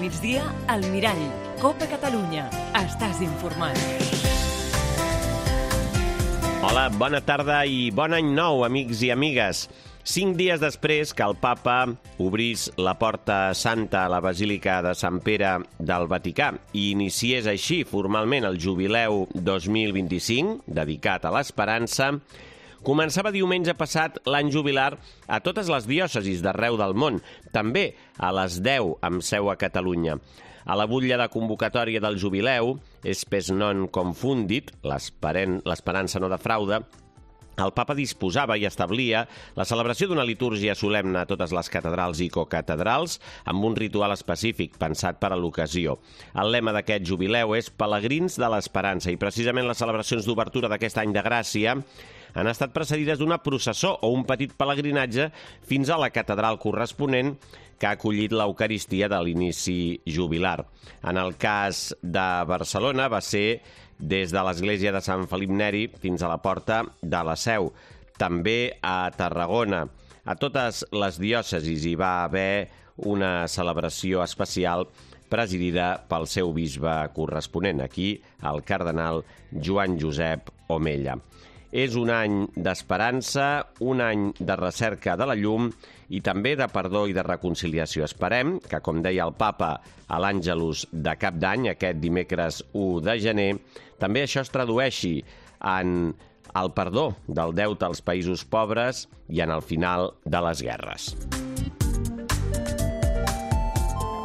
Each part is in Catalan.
migdia, al Mirall. Copa Catalunya. Estàs informat. Hola, bona tarda i bon any nou, amics i amigues. 5 dies després que el papa obrís la porta santa a la Basílica de Sant Pere del Vaticà i iniciés així formalment el Jubileu 2025, dedicat a l'esperança, començava diumenge passat l'any jubilar a totes les diòcesis d'arreu del món, també a les 10 amb seu a Catalunya. A la butlla de convocatòria del Jubileu, Spes non confundit, l'esperança no defrauda, el papa disposava i establia la celebració d'una litúrgia solemne a totes les catedrals i cocatedrals amb un ritual específic pensat per a l'ocasió. El lema d'aquest jubileu és Pelegrins de l'Esperança i precisament les celebracions d'obertura d'aquest any de gràcia han estat precedides d'una processó o un petit pelegrinatge fins a la catedral corresponent que ha acollit l'Eucaristia de l'inici jubilar. En el cas de Barcelona va ser des de l'església de Sant Felip Neri fins a la porta de la Seu. També a Tarragona. A totes les diòcesis hi va haver una celebració especial presidida pel seu bisbe corresponent, aquí el cardenal Joan Josep Omella. És un any d'esperança, un any de recerca de la llum i també de perdó i de reconciliació. Esperem que, com deia el papa a l'Àngelus de Cap d'Any, aquest dimecres 1 de gener, també això es tradueixi en el perdó del deute als països pobres i en el final de les guerres.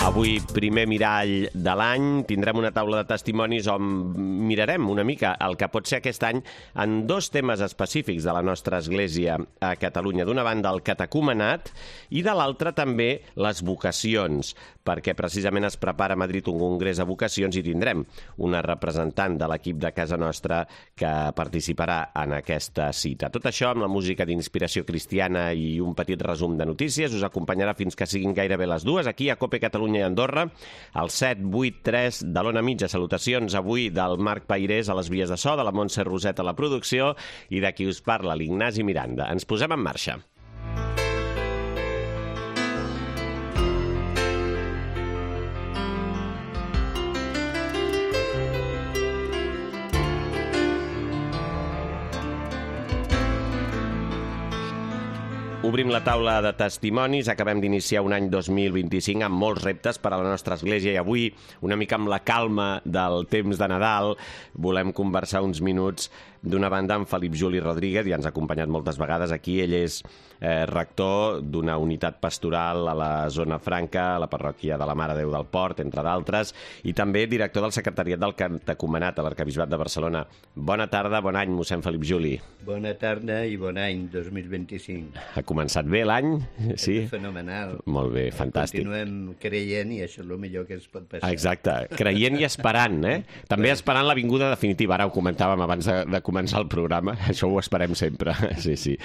Avui, primer mirall de l'any, tindrem una taula de testimonis on mirarem una mica el que pot ser aquest any en 2 temes específics de la nostra església a Catalunya. D'una banda, el catecumenat i de l'altra també les vocacions, perquè precisament es prepara a Madrid un congrés de vocacions i tindrem una representant de l'equip de casa nostra que participarà en aquesta cita. Tot això amb la música d'inspiració cristiana i un petit resum de notícies us acompanyarà fins que siguin gairebé les 2 aquí a Cope Catalunya i Andorra, al 783 de l'Ona Mitja. Salutacions avui del Marc Pairés a les vies de so, de la Montse Roset a la producció i de qui us parla, l'Ignasi Miranda. Ens posem en marxa. Obrim la taula de testimonis, acabem d'iniciar un any 2025 amb molts reptes per a la nostra església i avui, una mica amb la calma del temps de Nadal, volem conversar uns minuts d'una banda amb Felip Juli Rodríguez, ja ens ha acompanyat moltes vegades aquí. Ell és rector d'una unitat pastoral a la Zona Franca, a la parròquia de la Mare de Déu del Port, entre d'altres, i també director del secretariat del catecumenat a l'Arquebisbat de Barcelona. Bona tarda, bon any, mossèn Felip Juli. Bona tarda i bon any 2025. Ha començat bé l'any? Sí? Fenomenal. Molt bé, fantàstic. Continuem creient i això és el millor que ens pot passar. Exacte, creient i esperant, eh? També esperant la vinguda definitiva. Ara ho comentàvem abans de començar el programa, això ho esperem sempre. Sí, sí.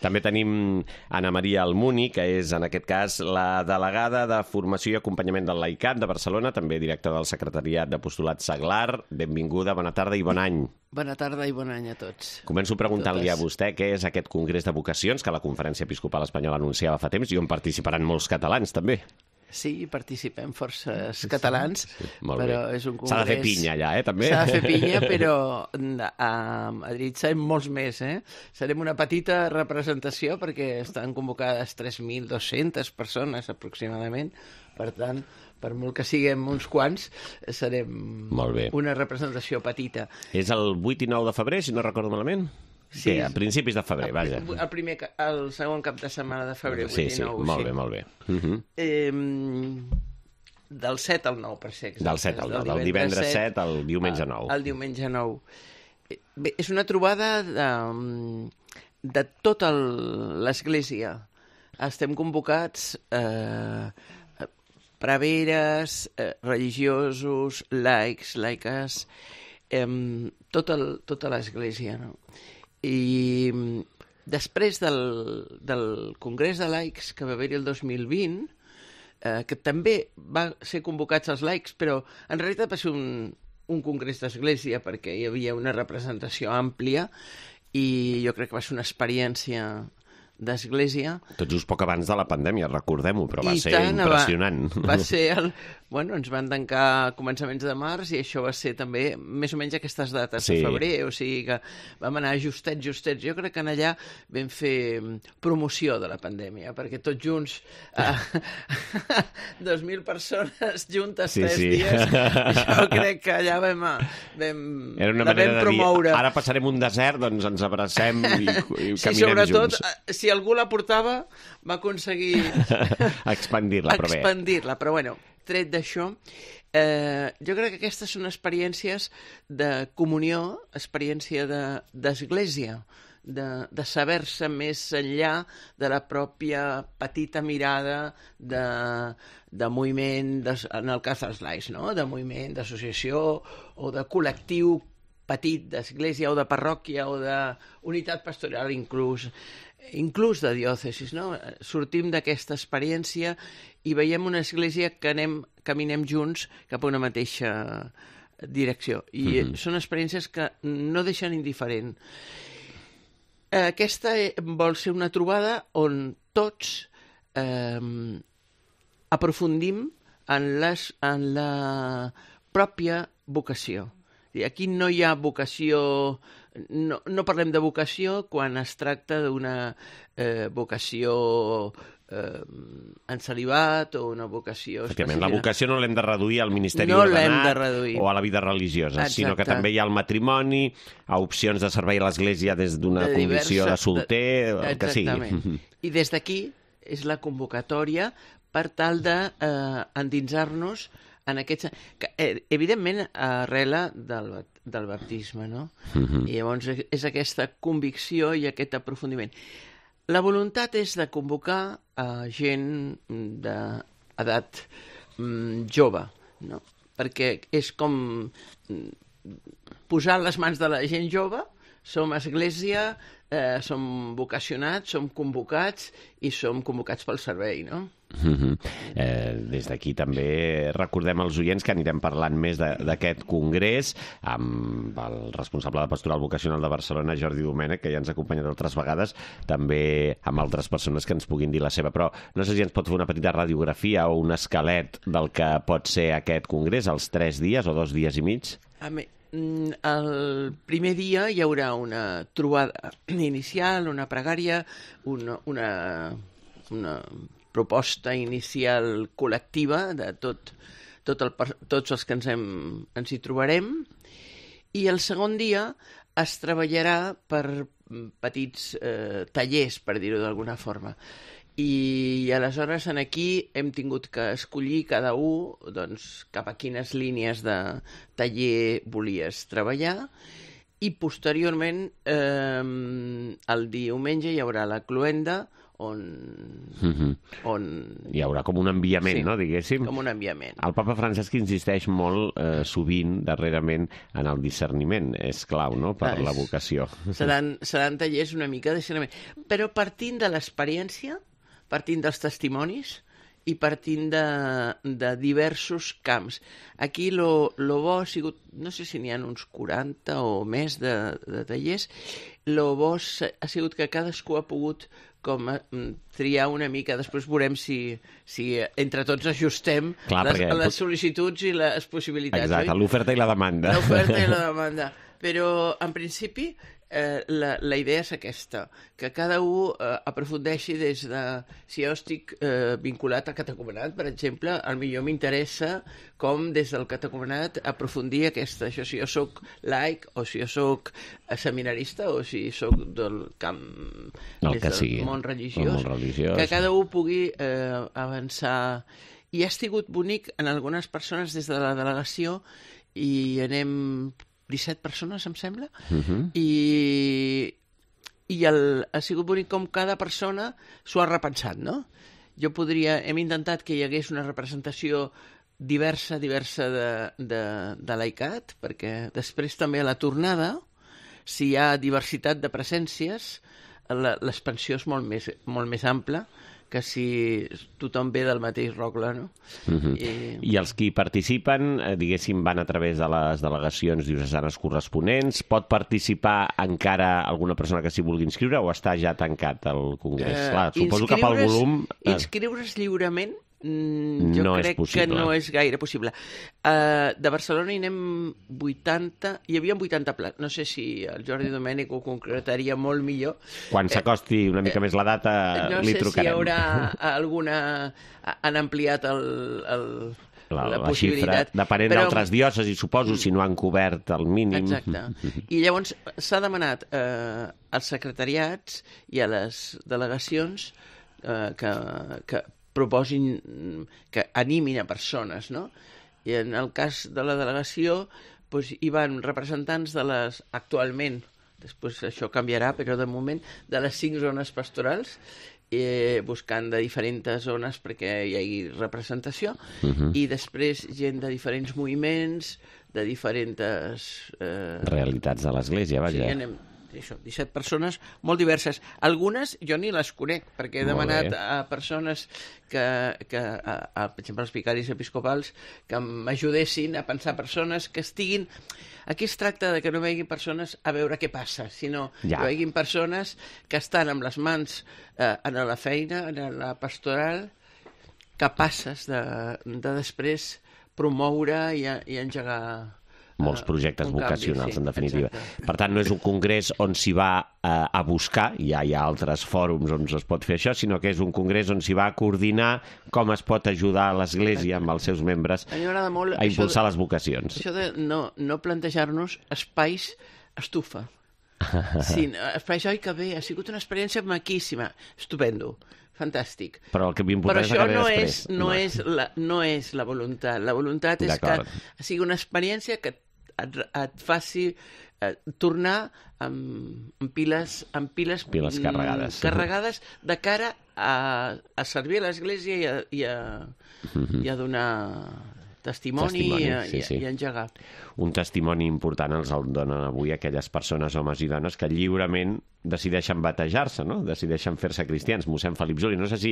També tenim Anna Maria Almuni, que és, en aquest cas, la delegada de Formació i Acompanyament del Laicat de Barcelona, també directora del Secretariat d'Apostolat Seglar. Benvinguda, bona tarda i bon any. Bona tarda i bon any a tots. Començo preguntant-li a vostè què és aquest Congrés de Vocacions que la Conferència Episcopal Espanyola anunciava fa temps i on participaran molts catalans, també. Sí, participem forces catalans, sí, però és un congrés... S'ha de fer pinya allà, també? S'ha de fer pinya, però a Madrid serem molts més, Serem una petita representació perquè estan convocades 3.200 persones aproximadament, per tant, per molt que siguem uns quants, serem una representació petita. És el 8 i 9 de febrer, si no recordo malament? Sí, a principis de febrer, vaja. El segon cap de setmana de febrer, 8 i 9. Sí, molt bé, molt bé. Del 7 al 9, per ser exacte. Del 7 al 9, del divendres 7 al diumenge 9. El diumenge 9. Bé, és una trobada de tota l'Església. Estem convocats preveres, religiosos, laics, laiques, tota l'Església, no? I després del Congrés de Laics que va haver-hi el 2020, que també va ser convocats els laics, però en realitat va ser un congrés d'església perquè hi havia una representació àmplia i jo crec que va ser una experiència d'església. Tot just poc abans de la pandèmia, recordem-ho, però va I ser tant, impressionant. Va ser bueno, ens van tancar a començaments de març i això va ser també més o menys aquestes dates de febrer, o sigui que vam anar justets. Jo crec que allà vam fer promoció de la pandèmia, perquè tots junts 2.000 persones juntes 3 dies, jo crec que allà vam Era una manera de dir, ara passarem un desert, doncs ens abracem i caminem junts. Sí, sobretot, si algú la portava, va aconseguir expandir-la, però bueno, tret d'això, jo crec que aquestes són experiències de comunió, experiència d'església, de saber-se més enllà de la pròpia petita mirada de moviment, en el cas dels laics, no? De moviment, d'associació o de col·lectiu petit d'església o de parròquia o d'unitat pastoral inclús de diòcesis, no? Sortim d'aquesta experiència i veiem una església que caminem junts cap a una mateixa direcció. I són experiències que no deixen indiferent. Aquesta vol ser una trobada on tots aprofundim en la pròpia vocació. Aquí no hi ha vocació, no parlem de vocació quan es tracta d'una vocació en celibat o una vocació específica. La vocació no l'hem de reduir al ministeri ordenat o a la vida religiosa, sinó que també hi ha el matrimoni, a opcions de servei a l'església des d'una condició de solter, el que sigui. I des d'aquí és la convocatòria per tal d'endinsar-nos en aquest... Evidentment, arrela del baptisme, no? I llavors és aquesta convicció i aquest aprofundiment. La voluntat és de convocar gent d'edat jove, no? Perquè és com posar les mans de la gent jove, som església, som vocacionats, som convocats i som convocats pel servei, no? Des d'aquí també recordem als oients que anirem parlant més d'aquest congrés amb el responsable de Pastoral Vocacional de Barcelona, Jordi Domènech, que ja ens ha acompanyat altres vegades, també amb altres persones que ens puguin dir la seva, però no sé si ens pot fer una petita radiografia o un esquelet del que pot ser aquest congrés, els 3 dies o 2 dies i mig. El primer dia hi haurà una trobada inicial, una pregària, una proposta inicial col·lectiva de tots els que ens hi trobarem, i el segon dia es treballarà per petits tallers, per dir-ho d'alguna forma. I aleshores aquí hem tingut que escollir cada un cap a quines línies de taller volies treballar, i posteriorment el diumenge hi haurà la cloenda on hi haurà com un enviament, no, diguéssim? Com un enviament. El papa Francesc insisteix molt sovint, darrerament, en el discerniment. És clau, no?, per la vocació. Seran tallers una mica de discerniment. Però partint de l'experiència, partint dels testimonis i partint de diversos camps. Aquí lo bo ha sigut, no sé si n'hi ha uns 40 o més de tallers, lo bo ha sigut que cadascú ha pogut com triar una mica. Després veurem si entre tots ajustem les sol·licituds i les possibilitats. Exacte, l'oferta i la demanda. L'oferta i la demanda. Però, en principi, la idea és aquesta, que cada un aprofundeixi des de... Si jo estic vinculat al catecumenat, per exemple, potser m'interessa com des del catecumenat aprofundir això, si jo soc laic o si jo soc seminarista o si soc del camp del món religiós, que cada un pugui avançar. I ha sigut bonic en algunes persones des de la delegació, i anem 17 persones, em sembla, i ha sigut bonic com cada persona s'ho ha repensat, no? Hem intentat que hi hagués una representació diversa de laicat, perquè després també a la tornada, si hi ha diversitat de presències, l'expansió és molt més ampla que si tothom ve del mateix rogle, no? I els qui participen, diguéssim, van a través de les delegacions diocesanes corresponents. Pot participar encara alguna persona que s'hi vulgui inscriure o està ja tancat el congrés? Clar, suposo que pel volum... Inscriure's lliurement jo no crec que no és gaire possible. De Barcelona hi anem 80, hi havia 80 plats. No sé si el Jordi Domènech ho concretaria molt millor. Quan s'acosti una mica més la data, li trucarem. No sé si hi haurà alguna... Han ampliat la possibilitat. Xifra, depenent d'altres diòcesis, suposo, si no han cobert el mínim. Exacte. I llavors s'ha demanat als secretariats i a les delegacions que proposin, que animin a persones, no? I en el cas de la delegació doncs, hi van representants de les, actualment, després això canviarà, però de moment, de les 5 zones pastorals, buscant de diferents zones perquè hi hagi representació, i després gent de diferents moviments, de diferents... realitats de l'Església, vaja. Sí, anem... Això, 17 persones molt diverses. Algunes jo ni les conec, perquè he demanat a persones per exemple, els vicaris episcopals, que m'ajudessin a pensar persones que estiguin... Aquí es tracta de que no veguin persones a veure què passa, sinó que veguin persones que estan amb les mans en la feina, en la pastoral, capaces de després promoure i engegar... molts projectes vocacionals, en definitiva. Exacte. Per tant, no és un congrés on s'hi va a buscar, ja hi ha altres fòrums on es pot fer això, sinó que és un congrés on s'hi va a coordinar com es pot ajudar a l'Església amb els seus membres a impulsar les vocacions. Això de no plantejar-nos espais estufa. Sí, espais, oi que bé, ha sigut una experiència maquíssima, estupendo, fantàstic. Però el que m'importa és acabar després. No és la voluntat. La voluntat és que sigui una experiència que et faci tornar amb piles carregades de cara a servir a l'Església i a donar testimoni i engegar. Un testimoni important els el donen avui aquelles persones, homes i dones, que lliurement decideixen batejar-se, no? Decideixen fer-se cristians. Mossèn Felip Juli, no sé si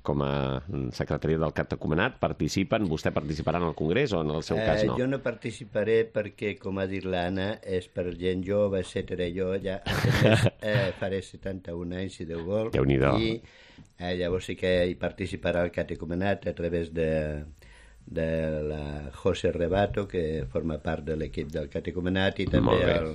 com a secretari del catecumenat participen, vostè participarà en el congrés o en el seu cas no? Jo no participaré perquè, com ha dit l'Anna, és per gent jove, etc. Jo ja faré 71 anys, si Déu vol. Déu-n'hi-do. I llavors sí que hi participarà el catecumenat a través de la José Rebato, que forma part de l'equip del catecumenat, i també el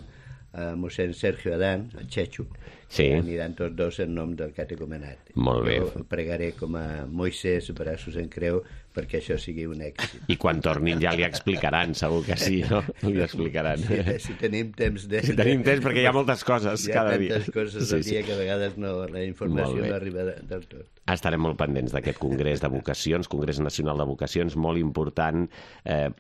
mossèn Sergio Adán, el Chechu, que aniran tots dos en nom del catecumenat. Molt bé. Jo pregaré com a Moisès, braços en creu, perquè això sigui un èxit. I quan tornin ja li explicaran, segur que sí, no? Li explicaran. Si tenim temps de... Si tenim temps, perquè hi ha moltes coses cada dia. Hi ha tantes coses al dia que a vegades la informació no arriba del tot. Estarem molt pendents d'aquest Congrés de Vocacions, Congrés Nacional de Vocacions, molt important,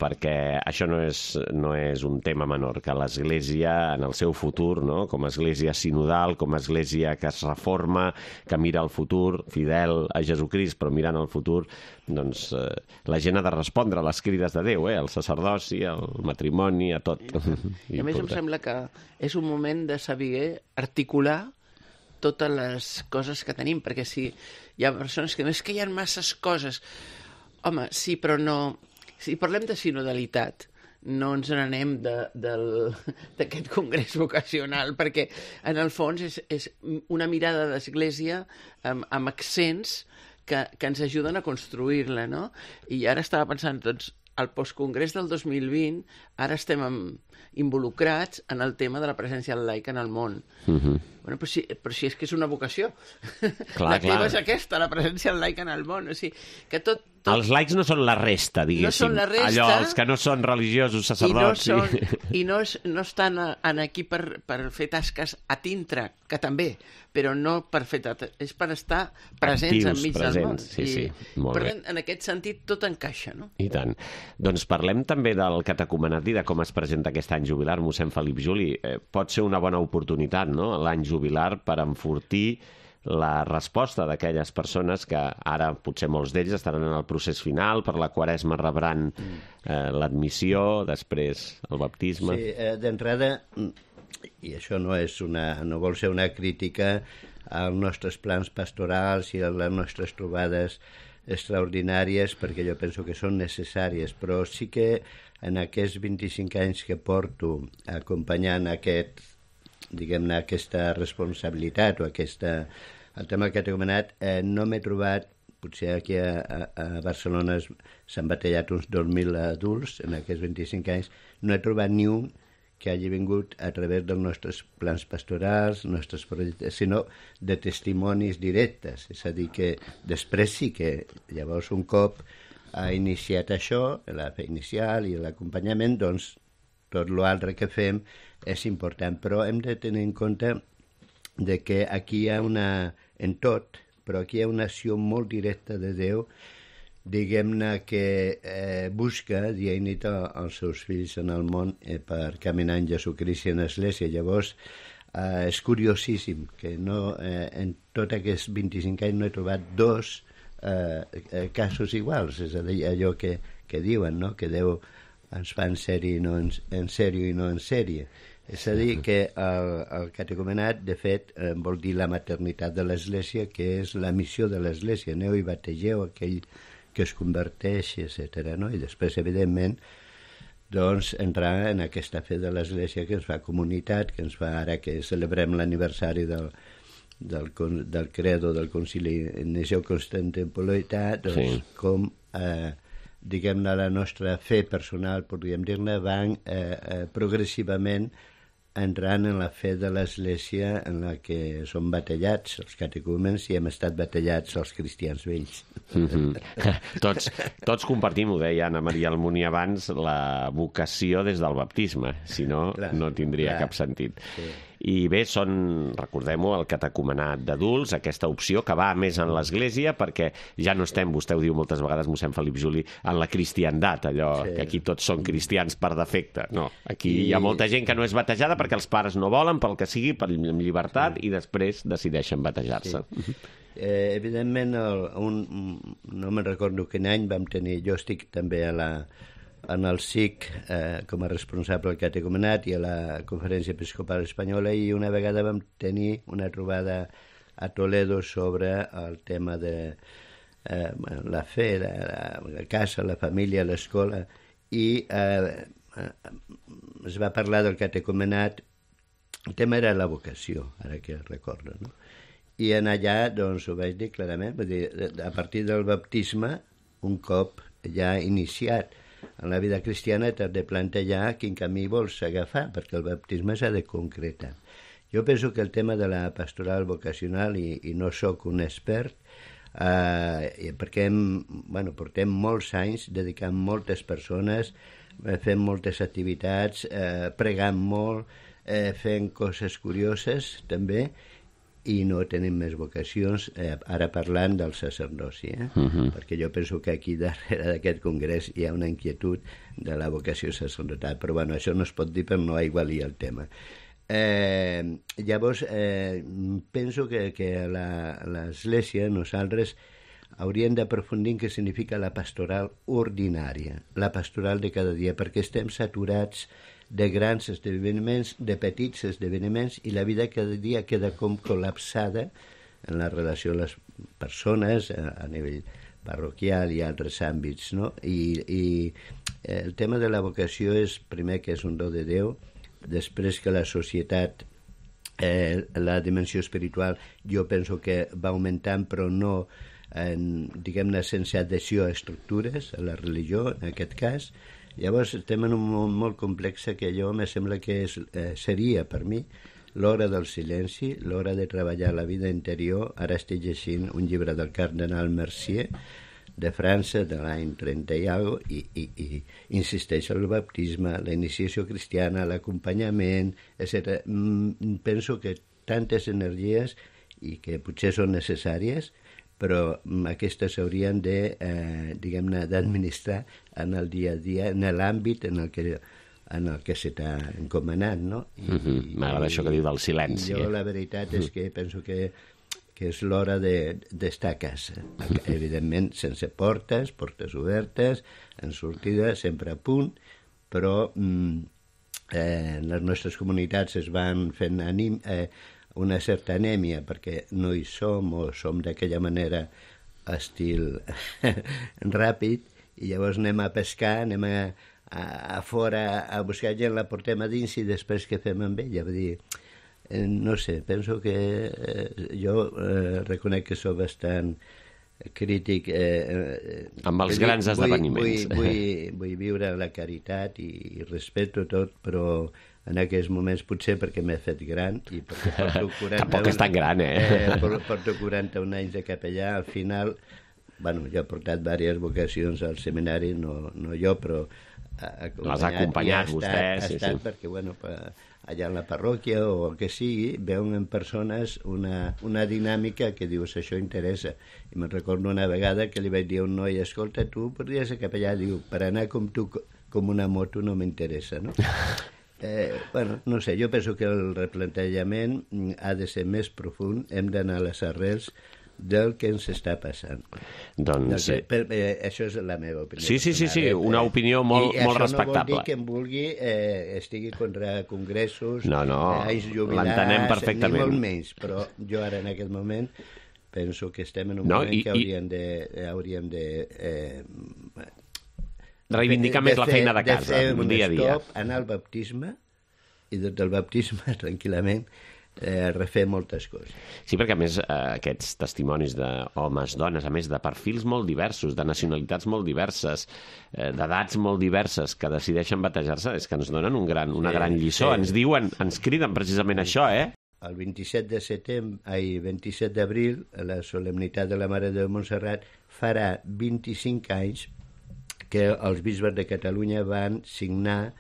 perquè això no és un tema menor, que l'Església, en el seu futur, no? Com a Església sinodal, com a Església que es reforma, que mira al futur, fidel a Jesucrist, però mirant al futur, doncs la gent ha de respondre a les crides de Déu, al sacerdoci, al matrimoni, a tot. I a més em sembla que és un moment de saber articular totes les coses que tenim, perquè si hi ha persones que no és que hi ha masses coses, home, sí, però no... Si parlem de sinodalitat, no ens n'anem d'aquest congrés vocacional, perquè en el fons és una mirada d'església amb accents que ens ajuden a construir-la, no? I ara estava pensant, doncs, al postcongrés del 2020, ara estem involucrats en el tema de la presència laica en el món. Bueno, però si és que és una vocació. La teva és aquesta, la presència laica en el món. O sigui, que tot... Els laics no són la resta, diguéssim. No són la resta. Allò, els que no són religiosos, sacerdots... I no estan aquí per fer tasques a dintre, que també, però no per fer... És per estar presents enmig del món. Sí, molt bé. En aquest sentit, tot encaixa, no? I tant. Doncs parlem també del catecumenat i de com es presenta aquest any jubilar, mossèn Felip Juli. Pot ser una bona oportunitat, no?, l'any jubilar, per enfortir la resposta d'aquelles persones que ara potser molts d'ells estaran en el procés final, per la Quaresma rebran l'admissió, després el baptisme. Sí, d'entrada i això no vol ser una crítica als nostres plans pastorals i a les nostres trobades extraordinàries, perquè jo penso que són necessàries, però sí que en aquests 25 anys que porto acompanyant diguem-ne, aquesta responsabilitat o el tema del catecumenat, no m'he trobat, potser aquí a Barcelona s'han batallat uns 2.000 adults en aquests 25 anys, no he trobat ni un que hagi vingut a través dels nostres plans pastorals, nostres projectes, sinó de testimonis directes. És a dir, que després sí que llavors un cop ha iniciat això, la fe inicial i l'acompanyament, doncs tot l'altre que fem és important. Però hem de tenir en compte de que aquí hi ha en tot, però aquí hi ha una acció molt directa de Déu, diguem-ne, que busca dia i nit els seus fills en el món per caminar en Jesucrist i en l'Església. Llavors, és curiosíssim que en tots aquests 25 anys no he trobat dos casos iguals, és a dir, allò que diuen, no? Que Déu ens fa en sèrie i no en sèrie. És a dir, que el catecumenat, de fet, vol dir la maternitat de l'Església, que és la missió de l'Església. Aneu i bategeu aquell que es converteix, etc. No? I després, evidentment, doncs, entrar en aquesta fe de l'Església que ens fa comunitat, que ens fa, ara que celebrem l'aniversari del credo del Concili Niceu-Constantinopolità, doncs, com diguem-ne, la nostra fe personal, podríem dir-ne, van progressivament entrant en la fe de l'Església en la que som batallats els catecúmens i hem estat batallats els cristians vells. Tots compartim, ho deia Anna Maria Almunia abans, la vocació des del baptisme, si no, no tindria cap sentit. Sí. I bé, recordem-ho, el catecumenat d'adults, aquesta opció que va més en l'Església, perquè ja no estem, vostè ho diu moltes vegades, mossèn Felip Juli, en la cristiandat, allò que aquí tots són cristians per defecte. No, aquí hi ha molta gent que no és batejada perquè els pares no volen, pel que sigui, per llibertat, i després decideixen batejar-se. Sí. Evidentment, no me'n recordo quin any vam tenir, jo estic també en el SIC com a responsable del catecumenat i a la Conferència Episcopal Espanyola, i una vegada vam tenir una trobada a Toledo sobre el tema de la fe, la casa, la família, l'escola, i es va parlar del catecumenat. El tema era la vocació, ara que recordo, no? I en allà, doncs, ho vaig dir clarament, vull dir, a partir del baptisme, un cop ja iniciat en la vida cristiana, t'has de plantejar quin camí vols agafar, perquè el baptisme s'ha de concretar. Jo penso que el tema de la pastoral vocacional, i no sóc un expert, perquè portem molts anys dedicant moltes persones, fent moltes activitats, pregant molt, fent coses curioses també, i no tenim més vocacions, ara parlant del sacerdoci, perquè jo penso que aquí darrere d'aquest congrés hi ha una inquietud de la vocació sacerdotal, però bueno, això no es pot dir per no aigualir el tema. Llavors, penso que l'Església, nosaltres, hauríem d'aprofundir en què significa la pastoral ordinària, la pastoral de cada dia, perquè estem saturats de grans esdeveniments, de petits esdeveniments, i la vida cada dia queda com col·lapsada en la relació amb les persones a nivell parroquial i altres àmbits, no? I el tema de la vocació és, primer, que és un do de Déu, després que la societat, la dimensió espiritual, jo penso que va augmentant, però no, diguem-ne, sense adhesió a estructures, a la religió, en aquest cas. Llavors estem en un món molt complex que jo me sembla que seria per mi l'hora del silenci, l'hora de treballar la vida interior. Ara estic llegint un llibre del cardenal Mercier de França de l'any 30 i alguna cosa, i insisteix en el baptisme, la iniciació cristiana, l'acompanyament, etc. Penso que tantes energies i que potser són necessàries, però aquestes s'haurien de, diguem-ne, d'administrar en el dia a dia, en l'àmbit en el que se t'ha encomanat, no? M'agrada això que diu del silenci. Jo la veritat és que penso que és l'hora d'estar a casa. Evidentment, sense portes obertes, en sortida, sempre a punt, però en les nostres comunitats es van fent una certa anèmia perquè no hi som o som d'aquella manera estil ràpid, i llavors anem a pescar, anem a fora a buscar gent, la portem a dins i després què fem amb ella? Vull dir, no sé, penso que jo reconec que sóc bastant crític. Amb els grans esdeveniments. Vull viure la caritat i respeto tot, però en aquests moments potser perquè m'he fet gran i perquè porto 41... Tampoc és tan gran, porto 41 anys de capellà, al final... Bueno, jo he portat diverses vocacions al seminari, no jo, però... Les ha acompanyat vostè. Ha estat perquè, bueno, allà en la parròquia o el que sigui, veuen en persones una dinàmica que dius, això interessa. I me'n recordo una vegada que li vaig dir a un noi, escolta, tu podries ser capellà? Diu, per anar com tu, com una moto, no m'interessa, no? Bueno, no sé, jo penso que el replantejament ha de ser més profund, hem d'anar a les arrels del que ens està passant. Doncs... això és la meva opinió. Sí, una opinió molt respectable. I això no vol dir que em vulgui estigui contra congressos, no, l'entenem perfectament. Ni molt menys, però jo ara en aquest moment penso que estem en un moment que hauríem de reivindicar més la feina de casa, dia a dia. Anar al baptisme i des del baptisme tranquil·lament refer moltes coses. Sí, perquè a més aquests testimonis d'homes, dones, a més de perfils molt diversos, de nacionalitats molt diverses, d'edats molt diverses, que decideixen batejar-se, és que ens donen una gran lliçó. Ens diuen, ens criden precisament això, El 27 d'abril, la solemnitat de la Mare de Montserrat, farà 25 anys que els bisbes de Catalunya van signar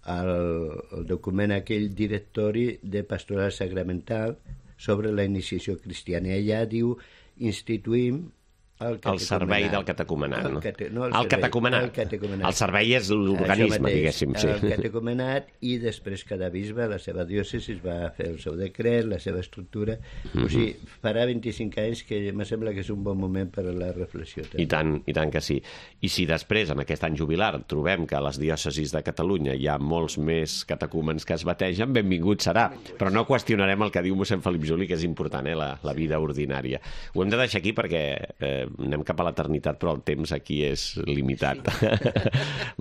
el document aquell directori de pastoral sacramental sobre la iniciació cristiana. I allà diu, instituïm el servei del catecumenat. El catecumenat. El servei és l'organisme, diguéssim. El catecumenat, i després cada bisbe, la seva diòcesi, va fer el seu decret, la seva estructura. O sigui, farà 25 anys que em sembla que és un bon moment per a la reflexió. I tant que sí. I si després, en aquest any jubilar, trobem que a les diòcesis de Catalunya hi ha molts més catecúmens que es bategen, benvingut serà. Però no qüestionarem el que diu mossèn Felip Juli, que és important, la vida ordinària. Ho hem de deixar aquí perquè anem cap a l'eternitat, però el temps aquí és limitat.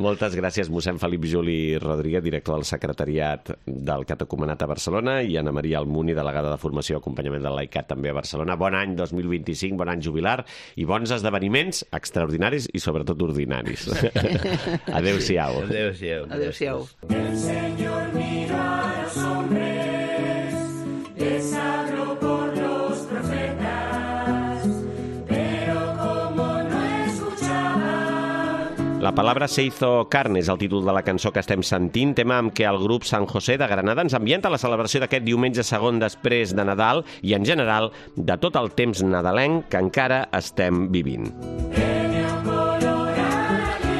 Moltes gràcies, mossèn Felip Juli Rodríguez, director del secretariat del Catecumenat a Barcelona, i Anna Maria Almuni, delegada de formació i acompanyament del laicat també a Barcelona. Bon any 2025, bon any jubilar i bons esdeveniments extraordinaris i sobretot ordinaris. Adéu-siau. Adéu-siau. Adéu-siau. El Señor miró a los hombres, les habló por los profetas, pero como no escuchaban... La palabra se hizo carne és el títol de la cançó que estem sentint, tema amb què el grup Sant José de Granada ens ambienta la celebració d'aquest diumenge segon després de Nadal i, en general, de tot el temps nadalenc que encara estem vivint.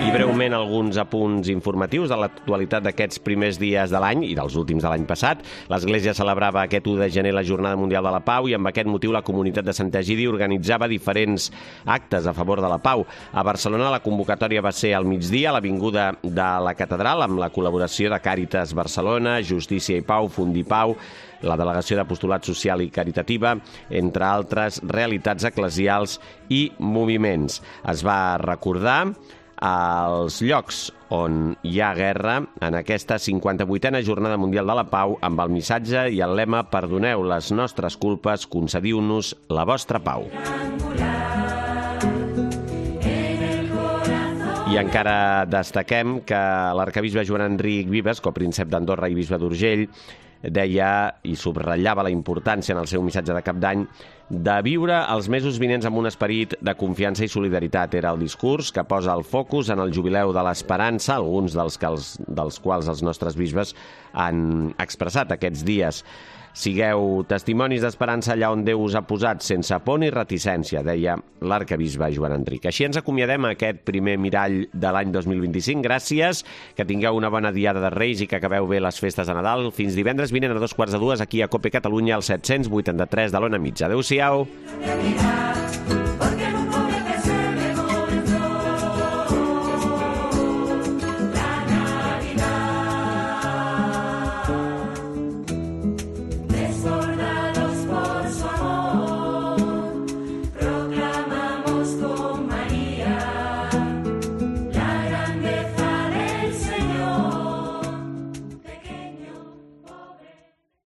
I breument alguns apunts informatius de l'actualitat d'aquests primers dies de l'any i dels últims de l'any passat. L'Església celebrava aquest 1 de gener la Jornada Mundial de la Pau i amb aquest motiu la comunitat de Sant Egidi organitzava diferents actes a favor de la pau. A Barcelona la convocatòria va ser al migdia a l'Avinguda de la Catedral amb la col·laboració de Càritas Barcelona, Justícia i Pau, Fundipau, la Delegació d'Apostolat Social i Caritativa, entre altres realitats eclesials i moviments. Es va recordar als llocs on hi ha guerra en aquesta 58a Jornada Mundial de la Pau amb el missatge i el lema "Perdoneu les nostres culpes, concediu-nos la vostra pau". I encara destaquem que l'arcabisbe Joan Enric Vives, copríncep d'Andorra i bisbe d'Urgell, deia i subratllava la importància en el seu missatge de cap d'any de viure els mesos vinents amb un esperit de confiança i solidaritat. Era el discurs que posa el focus en el jubileu de l'esperança, alguns dels quals els nostres bisbes han expressat aquests dies. Sigueu testimonis d'esperança allà on Déu us ha posat, sense por ni reticència, deia l'arcabisbe Joan Enric. Així ens acomiadem a aquest primer mirall de l'any 2025. Gràcies, que tingueu una bona diada de Reis i que acabeu bé les festes de Nadal. Fins divendres vinent a 2:15 aquí a COPE Catalunya, al 783 de l'Ona Mitja. Adéu-siau.